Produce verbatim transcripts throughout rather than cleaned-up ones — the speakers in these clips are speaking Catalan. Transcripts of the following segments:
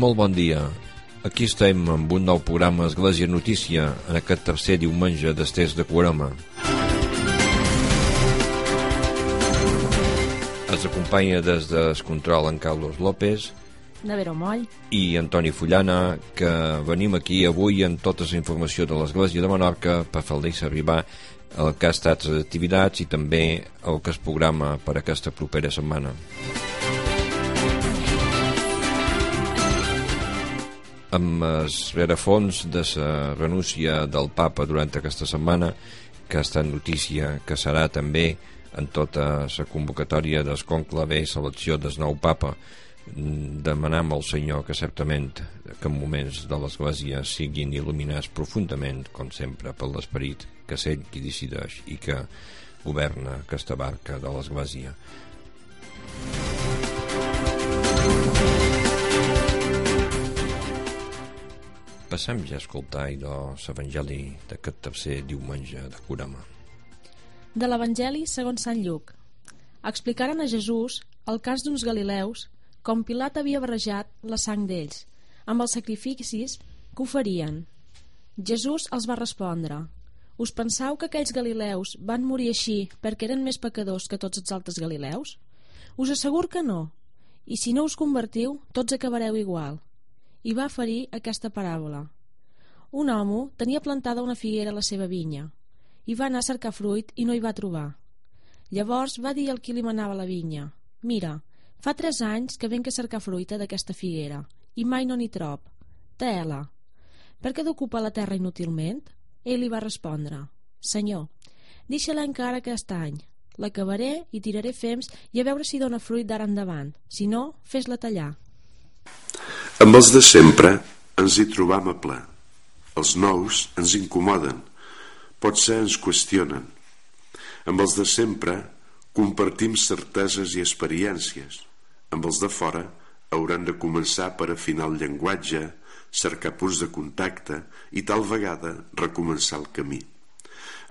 Molt bon dia. Aquí estem amb un nou programa Església Notícia en aquest tercer diumenge d'Estès de Carme. Es acompanya des d'Escontrol en Carlos López, Nevero Moll i Antoni Fullana, que venim aquí avui amb tota la informació de l'Església de Menorca per fer-los arribar el que ha estat les activitats i també el que es programa per aquesta propera setmana. Amb el rerefons de la renúncia del papa durant aquesta setmana, que ha estat notícia que serà també en tota la convocatòria del conclave i selecció del nou papa, demanam al Senyor que certament que en moments de l'Església siguin il·luminats profundament, com sempre, per l'esperit que sent qui decideix i que governa aquesta barca de l'Església. Passem ja a escoltar l'Evangeli d'aquest tercer diumenge de Carme. De l'Evangeli segons Sant Lluc. Explicaren a Jesús el cas d'uns galileus com Pilat havia barrejat la sang d'ells amb els sacrificis que oferien. Jesús els va respondre: us pensau que aquells galileus van morir així perquè eren més pecadors que tots els altres galileus? Us asseguro que no, i si no us convertiu tots acabareu igual. I va ferir aquesta paràbola. Un home tenia plantada una figuera a la seva vinya i va anar a cercar fruit i no hi va trobar. Llavors va dir al qui li manava la vinya: mira, fa tres anys que venc a cercar fruita d'aquesta figuera i mai no n'hi trob. Té-la. Per què d'ocupar la terra inútilment? Ell li va respondre: Senyor, deixa-la encara aquest any. L'acabaré i tiraré fems i a veure si dona fruit d'ara endavant. Si no, fes-la tallar. Amb els de sempre ens hi trobam a ple. Els nous ens incomoden, potser ens qüestionen. Amb els de sempre compartim certeses i experiències. Amb els de fora hauran de començar per afinar el llenguatge, cercar punts de contacte i tal vegada recomençar el camí.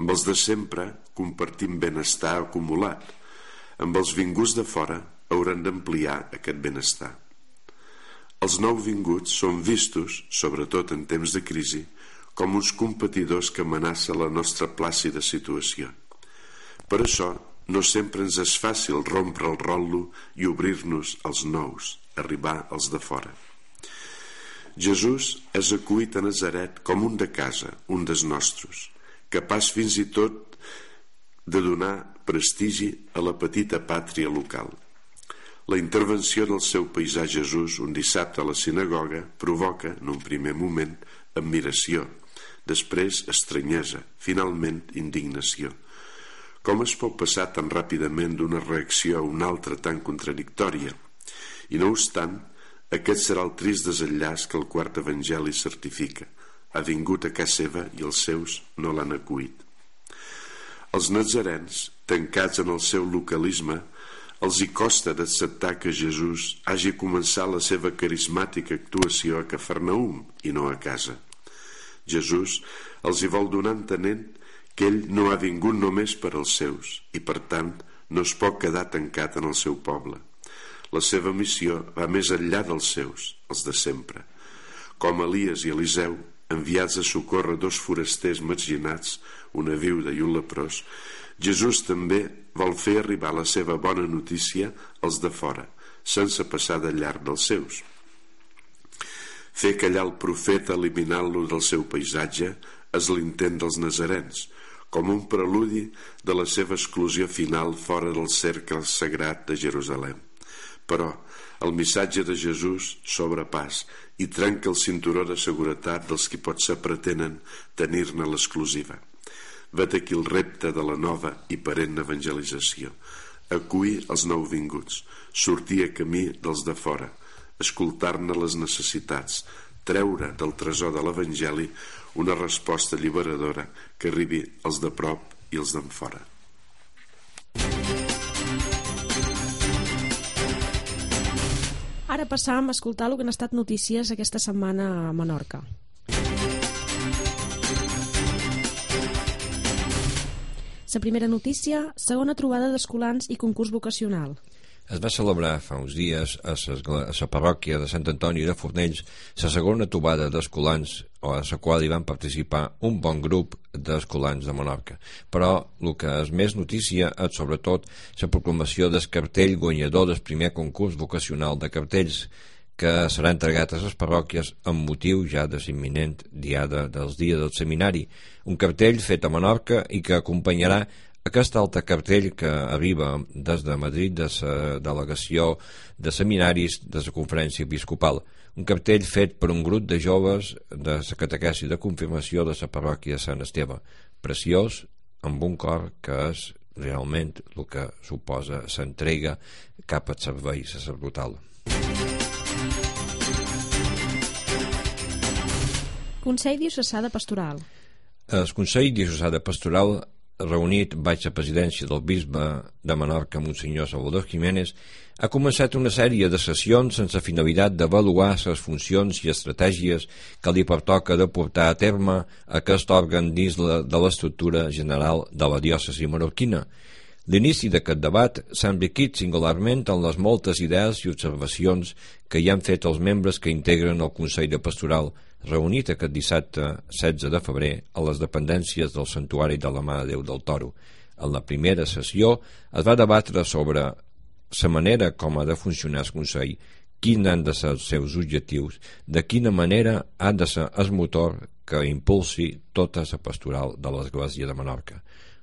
Amb els de sempre compartim benestar acumulat. Amb els vinguts de fora hauran d'ampliar aquest benestar. Els nouvinguts són vistos, sobretot en temps de crisi, com uns competidors que amenacen la nostra plàcida situació. Per això, no sempre ens és fàcil rompre el rotllo i obrir-nos als nous, arribar als de fora. Jesús és acollit a Nazaret com un de casa, un dels nostres, capaç fins i tot de donar prestigi a la petita pàtria local. La intervenció del seu paisà Jesús un dissabte a la sinagoga provoca, en un primer moment, admiració, després estranyesa, finalment indignació. Com es pot passar tan ràpidament d'una reacció a una altra tan contradictòria? I no obstant, aquest serà el trist desenllaç que el quart evangeli certifica. Ha vingut a casa seva i els seus no l'han acollit. Els nazarens, tancats en el seu localisme, els hi costa d'acceptar que Jesús hagi començat la seva carismàtica actuació a Cafarnaum i no a casa. Jesús els hi vol donar entenent que ell no ha vingut només per als seus i, per tant, no es pot quedar tancat en el seu poble. La seva missió va més enllà dels seus, els de sempre. Com Elies i Eliseu, enviats a socórrer dos forasters marginats, una viuda i un leprós, Jesús també vol fer arribar la seva bona notícia als de fora, sense passar de llarg dels seus. Fer callar el profeta eliminant-lo del seu paisatge és l'intent dels nazarens, com un preludi de la seva exclusió final fora del cercle sagrat de Jerusalem. Però el missatge de Jesús sobrepàs i trenca el cinturó de seguretat dels qui potser pretenen tenir-ne l'exclusiva. Vet aquí el repte de la nova i perenne evangelització: acollir els nouvinguts, sortir a camí dels de fora, escoltar-ne les necessitats, treure del tresor de l'Evangeli una resposta alliberadora que arribi als de prop i als d'enfora. Ara passam a escoltar el que han estat notícies aquesta setmana a Menorca. La primera notícia, segona trobada d'escolans i concurs vocacional. Es va celebrar fa uns dies a la parròquia de Sant Antoni de Fornells la segona trobada d'escolans, a la qual hi van participar un bon grup d'escolans de Menorca. Però el que és més notícia és sobretot la proclamació del cartell guanyador del primer concurs vocacional de cartells, que serà entregat a les parròquies amb motiu ja de l'imminent diada dels dies del seminari, un cartell fet a Menorca i que acompanyarà aquest altre cartell que arriba des de Madrid de la delegació de seminaris de la conferència episcopal, un cartell fet per un grup de joves de la catequesi de confirmació de la parròquia de Sant Esteve, preciós, amb un cor que és realment el que suposa s'entrega cap al servei sacerdotal. Consell Diocesà de Pastoral. El Consell Diocesà de Pastoral, reunit baix la presidència del bisbe de Menorca, Monsenyor Salvador Jiménez, ha començat una sèrie de sessions sense finalitat d'avaluar les funcions i estratègies que li pertoca de portar a terme aquest òrgan dins de l'estructura general de la diòcesi menorquina. L'inici d'aquest debat s'ha enriquit singularment en les moltes idees i observacions que hi han fet els membres que integren el Consell de Pastoral, reunit aquest dissabte setze de febrer a les dependències del Santuari de la Mare de Déu del Toro. En la primera sessió es va debatre sobre la manera com ha de funcionar el Consell, quins han de ser els seus objectius, de quina manera ha de ser el motor que impulsi tota la pastoral de l'Església de Menorca.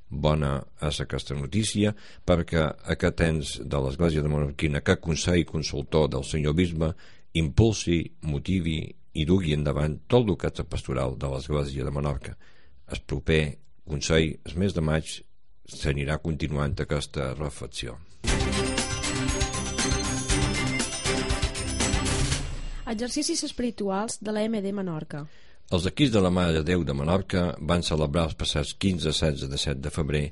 Bona és aquesta notícia perquè aquest ens de l'Església de Menorquina, aquest Consell Consultor del Senyor Bisbe, impulsi, motivi i dugui endavant tot el que és la pastoral de l'Església de Menorca. El proper Consell, el mes de maig, s'anirà continuant aquesta reflexió. Exercicis espirituals de la M D Menorca. Els equips de la Mare de Déu de Menorca van celebrar els passats quinze, setze i disset de febrer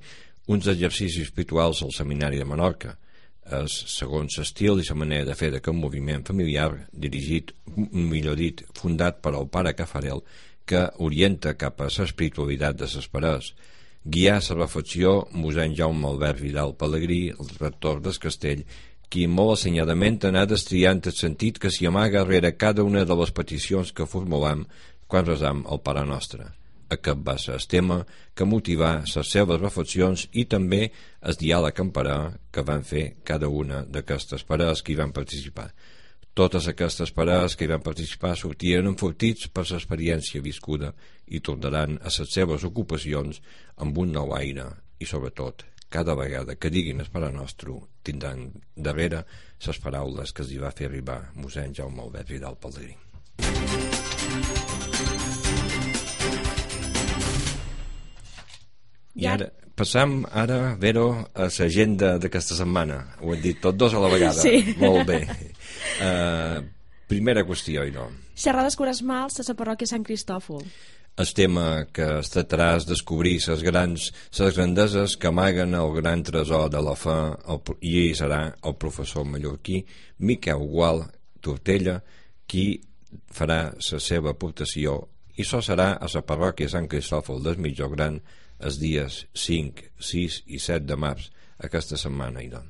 uns exercicis espirituals al Seminari de Menorca. És, segons l'estil i la manera de fer d'aquest moviment familiar dirigit, millor dit, fundat per el pare Cafarel, que orienta cap a l'espiritualitat de les parets. Guiar la reflexió mossèn Jaume Albert Vidal Pelegrí, el rector del castell, qui molt assenyadament ha anat estriant el sentit que s'hi amaga rere cada una de les peticions que formulam quan resam el Pare Nostre. Aquest va ser el tema que motivà les seves reflexions i també el diàleg en parà que van fer cada una d'aquestes parelles que hi van participar. Totes aquestes parelles que hi van participar sortien enfortits per l'experiència viscuda i tornaran a les seves ocupacions amb un nou aire i, sobretot, cada vegada que diguin el Pare Nostre tindran darrere les paraules que els hi va fer arribar mossèn Jaume Albert Vidal Pelegrí. I ara, passam ara, Vero, a l'agenda d'aquesta setmana. Ho hem dit tots dos a la vegada. Sí. Molt bé. Uh, primera qüestió, i no. Xerrades quaresmals a la parròquia Sant Cristòfol. El tema que es tractarà és descobrir les grans, les grandeses que amaguen el gran tresor de la fe, el, i ell serà el professor mallorquí Miquel Gual Tortella qui farà la seva aportació, i això serà a la parròquia Sant Cristòfol del Mitjó Gran els dies cinc, sis i set de març aquesta setmana. I doncs.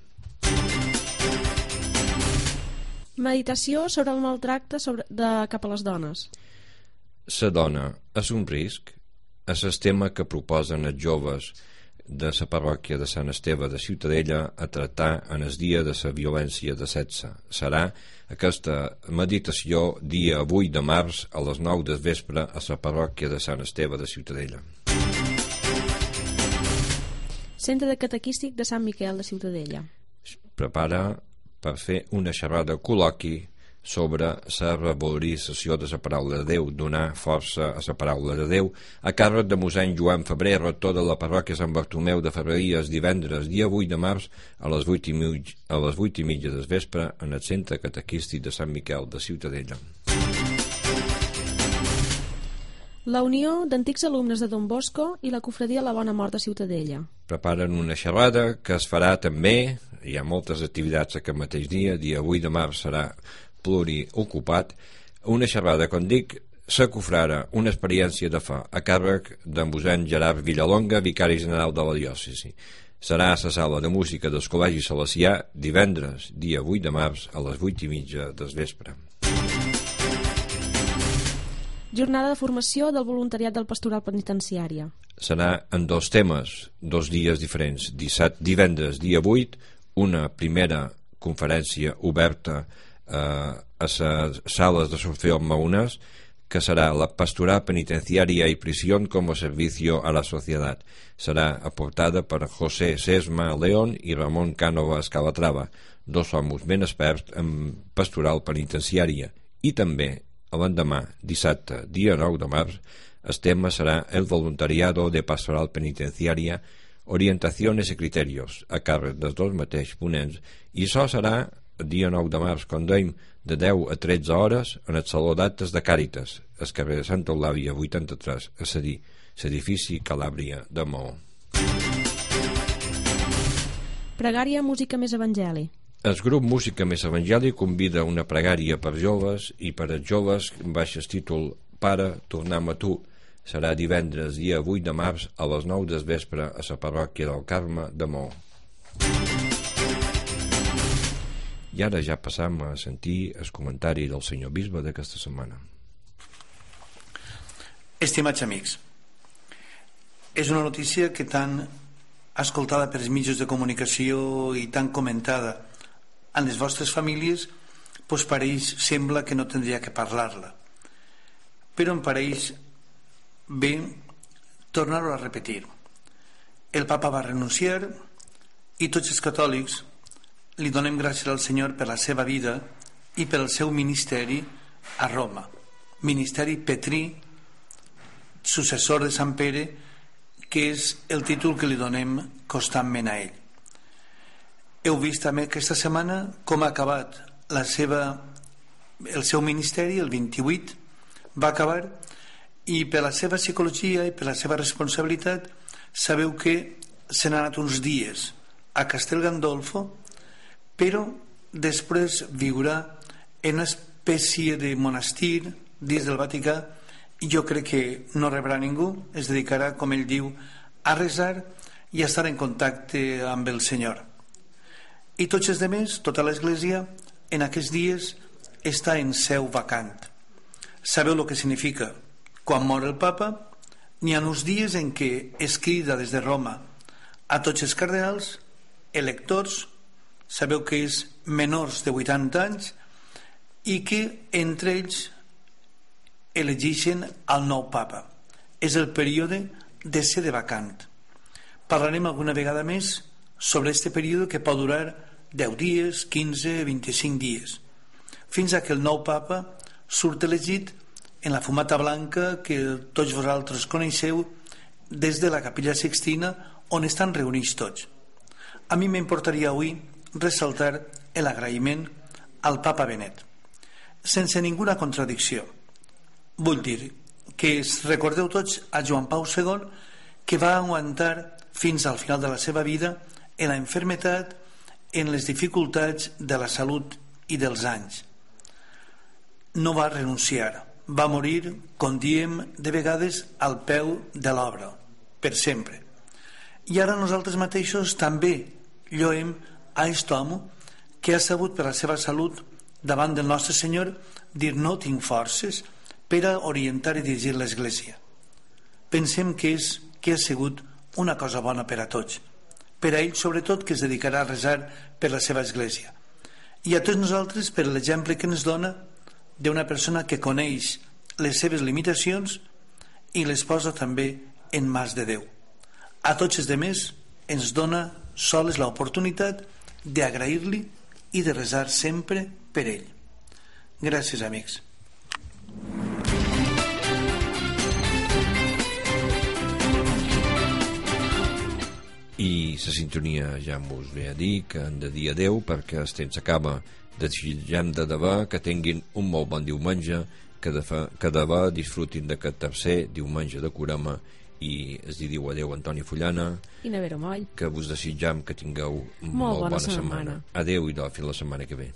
Meditació sobre el maltracte sobre, de, cap a les dones. La dona és un risc? És el tema que proposen els joves de la parròquia de Sant Esteve de Ciutadella a tractar en el dia de la violència de sexe. Serà aquesta meditació dia vuit de març a les nou del vespre a la parròquia de Sant Esteve de Ciutadella. Centre de Catequístic de Sant Miquel de Ciutadella. Es prepara per fer una xerrada col·loqui sobre la revalorització de la paraula de Déu, donar força a la paraula de Déu, a càrrec de mossèn Joan Febrer, rector de la parròquia Sant Bartomeu de Ferreries, divendres, dia vuit de març, a les vuit i, mig, a les vuit i mitja del vespre, en el Centre Catequístic de Sant Miquel de Ciutadella. La Unió d'Antics Alumnes de Don Bosco i la Cofradia La Bona Mort de Ciutadella. Preparen una xerrada que es farà també, hi ha moltes activitats aquest mateix dia, dia vuit de març serà pluriocupat, una xerrada, com dic, la cofrara, una experiència de fe, a càrrec de mossèn Gerard Villalonga, vicari general de la diòcesi. serà a la sala de música del Col·legi Salesià divendres, dia vuit de març, a les vuit i mitja del vespre. Jornada de formació del voluntariat del Pastoral Penitenciària. Serà en dos temes, dos dies diferents. Dissabte, divendres, dia vuit, una primera conferència oberta eh, a les sales de Sofío Maunas, que serà la Pastoral Penitenciaria y Prisión como Servicio a la Sociedad. Serà aportada per José Sesma León i Ramon Cánovas Calatrava, dos homes ben experts en pastoral penitenciària. I també, l'endemà, dissabte, dia nou de març, el tema serà el voluntariado de pastoral penitenciaria, orientaciones y criterios, a càrrec dels dos mateixos ponents, i això serà el dia nou de març, com dèiem, de deu a tretze hores en el Saló d'Actes de Càritas, al carrer de Santa Eulàlia vuitanta-tres, a cedir, l'edifici Calàbria de Maó. Pregària Música Més Evangeli. El grup Música Més Evangeli convida una pregària per joves i per als joves baix el títol Pare, tornem a tu. Serà divendres, dia vuit de març, a les nou del vespre a la parròquia del Carme de Maó. I ara ja passam a sentir el comentari del senyor bisbe d'aquesta setmana. Estimats amics, és una notícia que tan escoltada pels mitjans de comunicació i tan comentada en les vostres famílies, doncs pareix, sembla que no tindria que parlar-la. Però em pareix bé tornar-ho a repetir. El papa va renunciar i tots els catòlics li donem gràcies al Senyor per la seva vida i per el seu ministeri a Roma, ministeri petrí, successor de Sant Pere, que és el títol que li donem constantment a ell. Heu vist també aquesta setmana com ha acabat la seva, el seu ministeri, el vint-i-vuit va acabar, i per la seva psicologia i per la seva responsabilitat sabeu que se n'ha anat uns dies a Castel Gandolfo, però després viurà en una espècie de monestir dins del Vaticà, i jo crec que no rebrà ningú, es dedicarà, com ell diu, a resar i a estar en contacte amb el Senyor. I tots els demés, tota l'Església, en aquests dies està en seu vacant. Sabeu el que significa? Quan mor el papa, n'hi ha uns dies en què es crida des de Roma a tots els cardenals, electors, sabeu que és menors de vuitanta anys, i que entre ells elegeixen el nou papa. És el període de ser de vacant. Parlarem alguna vegada més sobre aquest període, que pot durar deu dies, quinze, vint-i-cinc dies, fins a que el nou papa surt elegit en la fumata blanca que tots vosaltres coneixeu des de la Capella Sixtina, on estan reunits tots. A mi m'importaria avui ressaltar l'agraïment al papa Benet, sense ninguna contradicció. Vull dir que recordeu tots a Joan Pau segon, que va aguantar fins al final de la seva vida en la enfermetat, en les dificultats de la salut i dels anys. No va renunciar, va morir, com diem de vegades, al peu de l'obra, per sempre. I ara nosaltres mateixos també lloem a aquest home que ha sabut, per la seva salut, davant del nostre Senyor, dir no tinc forces per a orientar i dirigir l'Església. Pensem que, és, que ha sigut una cosa bona per a tots, per a ell sobretot, que es dedicarà a resar per la seva Església, i a tots nosaltres per l'exemple que ens dona d'una persona que coneix les seves limitacions i les posa també en mans de Déu. A tots els demés ens dona sols l'oportunitat d'agrair-li i de resar sempre per ell. Gràcies, amics. I la sintonia ja mos ve a dir que han de dir adeu, perquè el temps s'acaba. Desitgem de debò que tinguin un molt bon diumenge, que de, fa, que de debò disfrutin d'aquest tercer diumenge de Carme, i es diu adeu Antoni Fullana i Nevero Moll, que vos desitjam que tingueu molt, molt bona, bona setmana. setmana. Adeu i fins la setmana que ve.